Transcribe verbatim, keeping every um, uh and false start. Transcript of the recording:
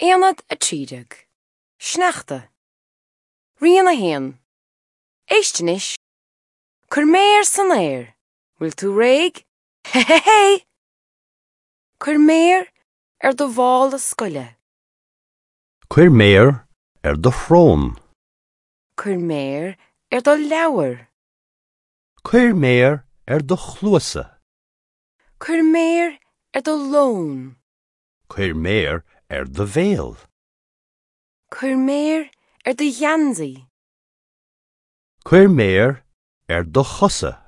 Aonad a trí déag. Sneachta. Rian a haon. Éist anois. Cuir méar san aer. Bhfuil tú réidh? Hé hé hé! Cuir méar ar do mhála scoile. Cuir méar ar do shrón. Cuir méar ar do leabhar. Cuir méar ar do chluasa. Cuir méar ar do lón. Cuir méar ar do bhéal. Cuir méar ar do gheansaí. Cuir méar ar do chosa.